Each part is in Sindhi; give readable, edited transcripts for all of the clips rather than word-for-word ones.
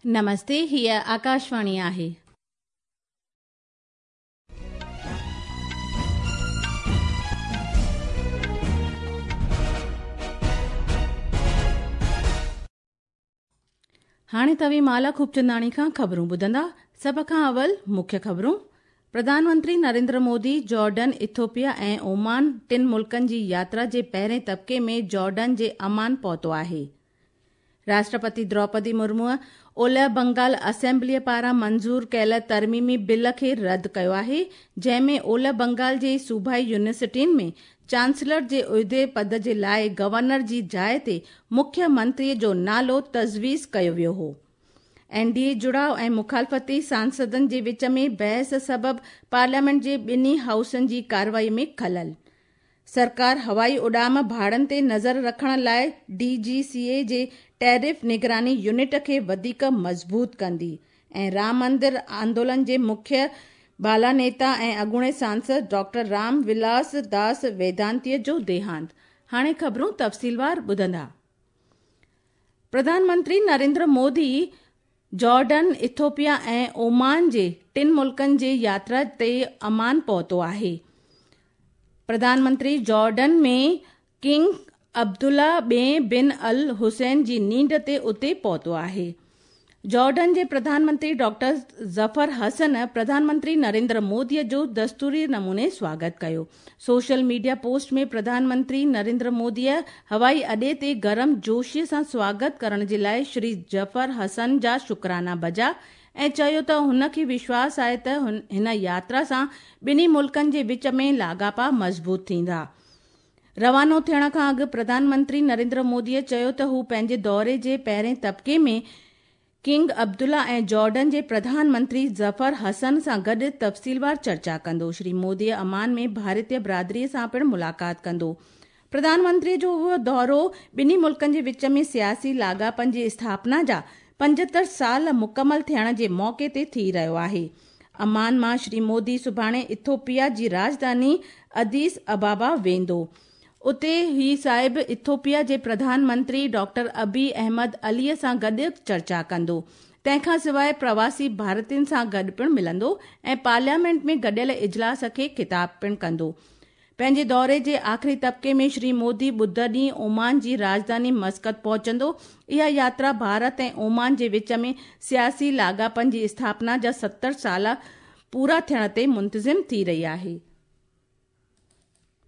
نمستي هيء آڪاشواڻي آهي. هاڻي توهين مالا خوبچنداڻي کان خبرون ٻڌندا. سڀ کان اول مکيه خبرون. Pradhan Mantri Narendra Modi Jordan, Ethiopia ۽ Oman ٽن ملڪن جي ياترا جي پهرين طبقي ۾ جارڊن جي عمان پهتو آهي. راشٽرپتي دروپدي مرموء اولهه بنگال اسيمبليء پاران منظور ڪيل ترميمي بل کي رد ڪيو آهي، جنهن ۾ اولهه بنگال جي صوبائي يونيورسٽين ۾ چانسلر جي عهدي پد جي لاء گورنر جي جاء تي مکيه منتري جو نالو تجويز ڪيو ويو هو. اين ڊي اي جڙاء ۽ مخالفتي سانسدن جي وچ ۾ بحث سبب پارليامينٽ جي ٻنهي هائوسن جي ڪارروائي ۾ خلل. سرڪار هوائي اڏام ڀاڙن تي نظر رکڻ لاء ڊي جي سي اي جي ٽيرف نگراني يونٽ کي وڌيڪ مضبوط ڪندي ۽ رام مندر آندولن جي مکيه بالا نيتا ۽ اڳوڻي سانسد ڊاڪٽر رام ولاس داس ويدانتيء جو ديهانت. هاڻي خبرون تفصيلوار ٻڌندا. Pradhan Mantri Narendra Modi Jordan, Ethiopia ۽ Oman جي ٽن ملڪن جي ياترا تي عمان پهتو آهي. پرڌان منتري جارڊن ۾ ڪنگ عبدالله ٻئين بن الحسين جي نينڍ تي اتي پهتو آهي. جارڊن جي پرڌان منتري ڊاڪٽر ظفر حسن پرڌان منتري نريندر مودي جو دستوري نموني سواگت ڪيو. Social media post ۾ Pradhan Mantri Narendra Modi هوائي اڏي تي گرم جوشي سان سواگت ڪرڻ جي لاء شري ظفر حسن جا شڪرانا بجا ۽ چيو ته هن کي وشواس آهي ته هن ياترا سان ٻنهي ملڪن جي وچ ۾ لاڳاپا مضبوط ٿيندا. روانو ٿيڻ کان اڳ پرڌان منتري نريندر مودي چيو ته هو پنهنجي دوري جي پهرين طبقي ۾ ڪنگ عبدالله ۽ جارڊن جي پرڌان منتري ظفر حسن سان گڏ تفصيلوار چرچا ڪندو. شري مودي عمان ۾ ڀارتي برادري سان پڻ ملاقات ڪندو. پرڌان منتري جو اهو دورو ٻنهي ملڪن جي وچ ۾ سياسي لاڳاپن جي اسٿاپنا جا 75 سال مڪمل ٿيڻ جي موقعي تي ٿي رهيو آهي. عمان مان شري مودي سڀاڻي ايٿوپيا جي راڄڌاني اديس ابابا ويندو. اتي هي صاحب ايٿوپيا جي پرڌان منتري ڊاڪٽر ابي احمد علي سان گڏ چرچا ڪندو. تنهن کان سواء پرواسي ڀارتين سان گڏ پڻ ملندو ۽ پارليامينٽ ۾ گڏيل اجلاس کي خطاب پڻ ڪندو. پنهنجي دوري جي آخري طبقي ۾ شري مودي ٻڌ ڏينهن اومان جي راڄڌاني مسقط پهچندو. اها ياترا ڀارت ۽ اومان جي وچ ۾ سياسي لاڳاپن جي اسٿاپنا جا 70 سال پورا ٿيڻ تي منتظم ٿي رهي آهي.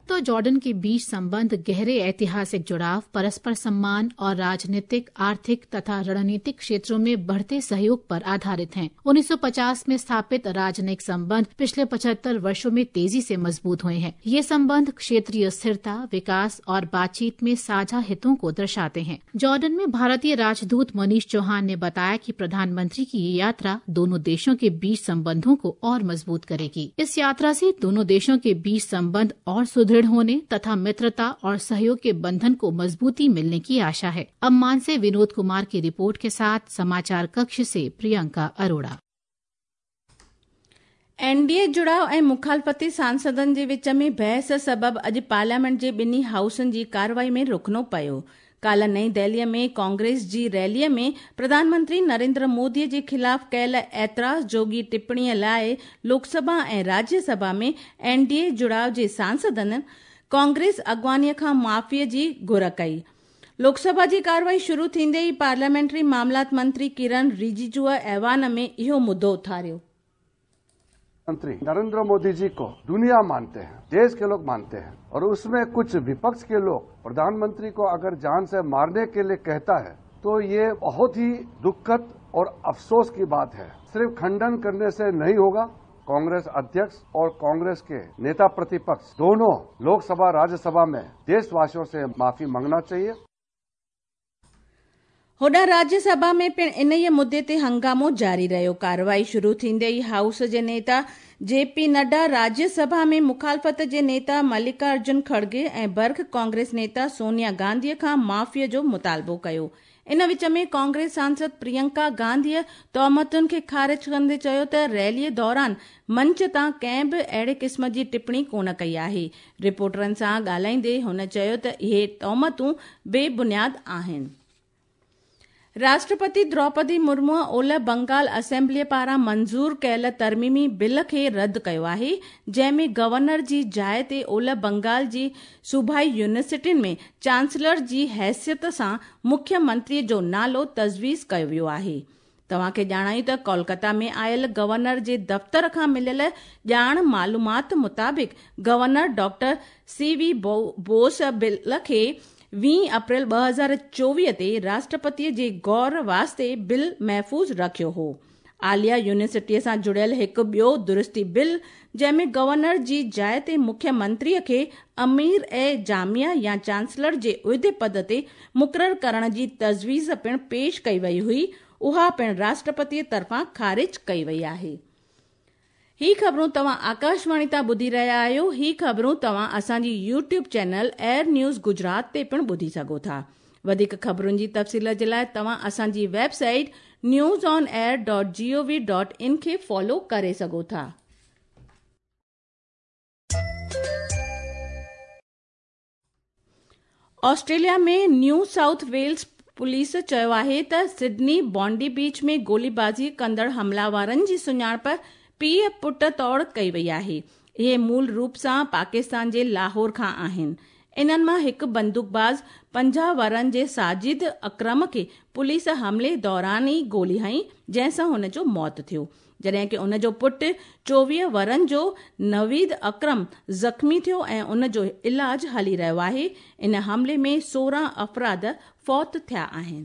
तो जॉर्डन के बीच संबंध गहरे ऐतिहासिक जुड़ाव, परस्पर सम्मान और राजनीतिक, आर्थिक तथा रणनीतिक क्षेत्रों में बढ़ते सहयोग पर आधारित हैं। 1950 में स्थापित राजनयिक संबंध पिछले 75 वर्षों में तेजी से मजबूत हुए हैं। ये संबंध क्षेत्रीय स्थिरता, विकास और बातचीत में साझा हितों को दर्शाते हैं। जॉर्डन में भारतीय राजदूत मनीष चौहान ने बताया कि प्रधानमंत्री की ये यात्रा दोनों देशों के बीच संबंधों को और मजबूत करेगी। इस यात्रा से दोनों देशों के बीच संबंध और सुदृढ़ होने तथा मित्रता और सहयोग के बंधन को मजबूती मिलने की आशा है। अम्मान से विनोद कुमार की रिपोर्ट के साथ समाचार कक्ष से प्रियंका अरोड़ा। اين ڊي اي جڙاء ۽ مخالفتي سانسدن جي وچ ۾ بحث سبب اڄ پارليامينٽ جي ٻنهي هائوسن جي ڪارروائي ۾ رخنو پيو. ڪالهه نئين دهلي ۾ ڪانگريس جي ريلي ۾ پرڌان منتري نريندر مودي جي خلاف ڪيل اعتراض جوڳي ٽپڻي لاء لوڪ سڀا ۽ راجيه سڀا ۾ اين ڊي اي جڙاء جي سانسدن ڪانگريس اڳواڻي کان معافي جي گهر ڪئي. لوڪ سڀا جي ڪارروائي شروع ٿيندي ئي پارليامينٽري معاملات منتري ڪرن رجيجوء ايوان ۾ اهو مدو اٿاريو. मंत्री नरेंद्र मोदी जी को दुनिया मानते हैं, देश के लोग मानते हैं और उसमें कुछ विपक्ष के लोग प्रधानमंत्री को अगर जान से मारने के लिए कहता है तो ये बहुत ही दुखद और अफसोस की बात है। सिर्फ खंडन करने से नहीं होगा। कांग्रेस अध्यक्ष और कांग्रेस के नेता प्रतिपक्ष दोनों लोकसभा राज्यसभा में देशवासियों से माफी मांगना चाहिए। هوڏانهن راجيه سڀا ۾ پڻ انهيء مدي تي هنگامو جاري رهيو. ڪارروائي شروع ٿيندي ئي هائوس جي نيتا جي پي نڊا، راجيه سڀا ۾ مخالفت جي نيتا ملڪا ارجن کڙگي ۽ برک ڪانگريس نيتا سونيا گانڌي کان معافي جو مطالبو ڪيو. ان وچ ۾ ڪانگريس سانسد پرينڪا گانڌيء تهمتن کي خارج ڪندي چيو ته ريلي دوران منچ تان ڪنهن به اهڙي قسم جي ٽپڻي ڪونه ڪئي آهي. رپورٽرن سان ڳالهائيندي هن چيو ته اهي تهمتون بي بنياد آهن. راشٽرپتي دروپدي مرمو اولهه بنگال اسيمبليءَ پاران منظور ڪيل ترميمي بل کي رد ڪيو آهي، جنهن ۾ گورنر جي جاءِ تي اولهه بنگال جي صوبائي يونيورسٽين ۾ چانسلر جي حيثيت سان مکيه منتري جو نالو تجويز ڪيو ويو آهي. توهان کي ڄاڻايون ته ڪولڪتا ۾ آيل گورنر جي دفتر کان مليل ڄاڻ معلومات مطابق governor doctor C V Bose bill کي 20 اپريل 2024 تي راشٽرپتي جي غور واسطي بل محفوظ رکيو هو. عاليه يونيورسٽيءَ سان جڙيل هڪ ٻيو درستي بل، جنهن ۾ گورنر جي جاءِ تي مکيه منتري کي امير اي جامعه يا چانسلر جي عهدي پد تي مقرر ڪرڻ جي تجويز پڻ پيش ڪئي وئي هئي، اها پڻ راشٽرپتي طرفان خارج ڪئي وئي آهي. هي خبرون توهان آڪاشواڻي تان ٻڌي رهيا آهيو. هي خبرون توهان اسان جي YouTube channel AIR news Gujarat تي پڻ ٻڌي سگهو ٿا. وڌيڪ خبرن جي تفصيل جي لاءِ توهان اسان جي website news on air dot G O V dot in کي فالو ڪري سگهو ٿا. Australia ۾ New South Wales police چيو آهي ته سڊني بانڊي بيچ ۾ گوليبازي ڪندڙ حمله آورن جي سڃاڻپ پيءُ پٽ طور ڪئي وئي آهي. اهي مول روپ سان پاڪستان جي لاهور کان آهن. انهن مان هڪ بندوقباز 50 ورهن جي ساجد اڪرم کي پوليس حملي دوران ئي گولي هنئي، جنهن سان هن جو موت ٿيو، جڏهن ڪه ان جو پٽ 24 ورهن جو نويد اڪرم زخمي ٿيو ۽ ان جو علاج هلي رهيو آهي. ان حملي ۾ 16 افراد فوت ٿيا آهن.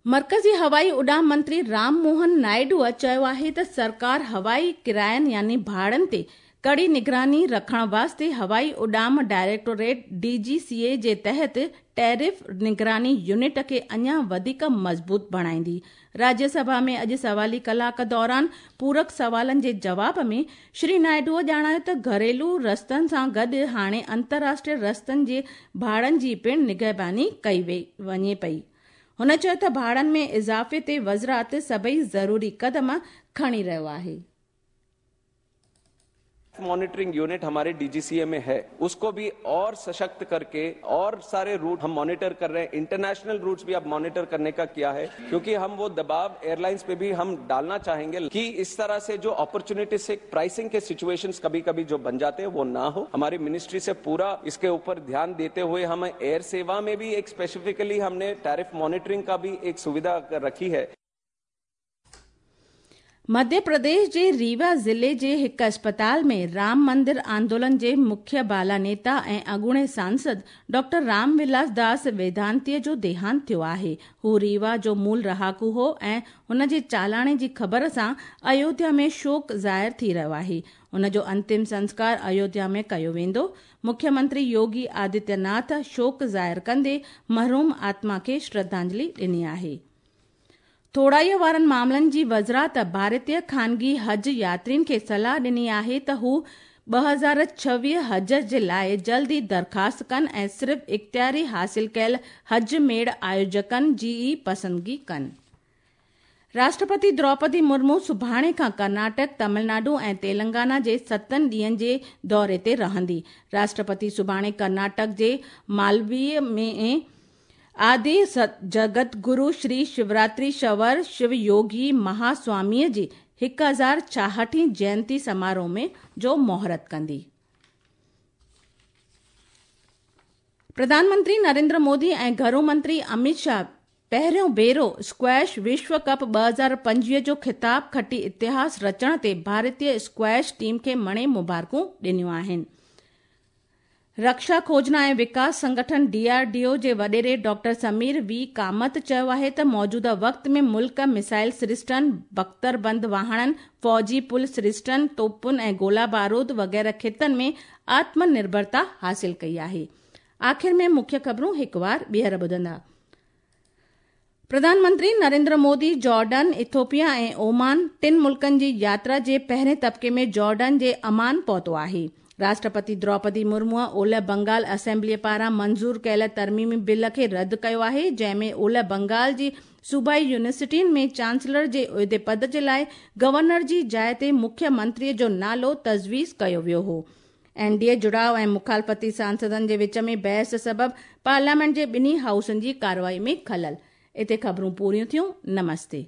مرڪزي هوائي اڏام منتري رام موهن نائيڊو چيو آهي ته سرڪار هوائي ڪراين يعني ڀاڙن تي ڪڙي نگراني رکڻ واسطي هوائي اڏام ڊائريڪٽوريٽ ڊي جي سي اي جي تحت ٽيرف نگراني يونٽ کي اڃا وڌيڪ مضبوط بڻائيندي. راجيه سڀا ۾ اڄ سوالي ڪلاڪ دوران پورڪ سوالن جي جواب ۾ شري نائيڊو ڄاڻايو ته گهريلو رستن سان گڏ هاڻي انترراشٽريه رستن جي ڀاڙن جي پڻ نگهباني ڪئي وڃي پئي. هن چيو ته ڀاڙن ۾ اضافي تي وزارت سڀئي ضروري قدم کڻي رهيو آهي. मॉनिटरिंग यूनिट हमारे डीजीसीए में है, उसको भी और सशक्त करके और सारे रूट हम मॉनिटर कर रहे हैं। इंटरनेशनल रूट्स भी अब मॉनिटर करने का किया है, क्योंकि हम वो दबाव एयरलाइंस पे भी हम डालना चाहेंगे कि इस तरह से जो अपॉर्चुनिटी से प्राइसिंग के सिचुएशंस कभी कभी जो बन जाते हैं वो ना हो। हमारी मिनिस्ट्री से पूरा इसके ऊपर ध्यान देते हुए हम एयर सेवा में भी एक स्पेसिफिकली हमने टैरिफ मॉनिटरिंग का भी एक सुविधा रखी है। मध्य प्रदेश जे रीवा ज़िले जे हिकु अस्पताल में राम मंदिर आंदोलन जे मुख्य बाला नेता ऐं अॻूणे सांसद डॉक्टर राम विलास दास वेदांतीअ जो देहांत थियो आहे। हू रीवा जो मूल रहाकू हो ऐं हुन जे चालाणे जी ख़बर सां अयोध्या में शोक ज़ाहिर थी रहियो आहे। हुन जो अंतिम संस्कार अयोध्या में कयो वेंदो। मुख्यमंत्री योगी आदित्यनाथ शोक ज़ाहिर कंदे मरहूम आत्मा खे श्रद्धांजलि ॾिनी आहे। थोड़ाईअ वारनि मामलनि जी वज़ारत भारतीय ख़ानगी हज यात्रियुनि खे सलाह ॾिनी आहे त हू 2026 हज जे लाइ जल्द ई दरख़्वास्त कनि ऐं सिर्फ़ इख़्तियारी हासिल कयल हज मेड़ आयोजकनि जी ई पसंदगी कनि। राष्ट्रपति द्रौपदी मुर्मू सुभाणे खां कर्नाटक, तमिलनाडु ऐं तेलंगाना जे 7 ॾींहंनि जे दौरे ते रहंदी। राष्ट्रपति सुभाणे कर्नाटक जे मालवीय में आदि जगत गुरु श्री शिवरात्रि शवर शिव योगी महास्वामीअ जी 1066वीं जयंती समारोह में जो मुहूर्त कंदी। प्रधानमंत्री नरेंद्र मोदी ऐं घरू मंत्री अमित शाह पहिरियों भेरो स्क्वैश विश्व कप 2025 जो ख़िताब खटी इतिहास रचण ते भारतीय स्क्वैश टीम खे मणे मुबारकूं ॾिनियूं आहिनि। रक्षा खोजना ऐं विकास संगठन डीआरडीओ जे वॾेरे डॉक्टर समीर we Kamat चयो आहे त मौजूदा वक़्त में मुल्क मिसाइल सिरिस्टनि, बख़्तरबंद वाहणनि, फ़ौजी पुल सिरिस्टनि, तोपुनि ऐं गोला बारूद वग़ैरह ख़ितनि में आत्मनिर्भरता हासिल कई आहे। आख़िर में मुख्य ख़बरूं हिकु वार ॿीहर ॿुधंदा। प्रधानमंत्री नरेंद्र मोदी जॉर्डन, इथोपिया ऐं ओमान टिनि मुल्कनि जी यात्रा जे पहिरें तबिके में जॉर्डन जे अमान पहुतो आहे। राष्ट्रपति द्रौपदी मुर्मू ओलह बंगाल असेंबलीअ पारां मंज़ूर कयल तरमीमी बिल खे रद्द कयो आहे, जंहिंमें ओलह बंगाल जी सूबाई यूनिवर्सिटियुनि में चांसलर जे उहिदे पद जे लाइ गवर्नर जी जाइ ते मुख्यमंत्रीअ जो नालो तजवीज़ कयो वियो हो। एनडीए जुड़ाव ऐं मुखालफ़ती सांसदनि जे विच में बहस सबबि पार्लियामेंट जे ॿिन्ही हाउसनि जी कार्रवाई में ख़लल। हिते ख़बरूं पूरियूं थियूं। नमस्ते।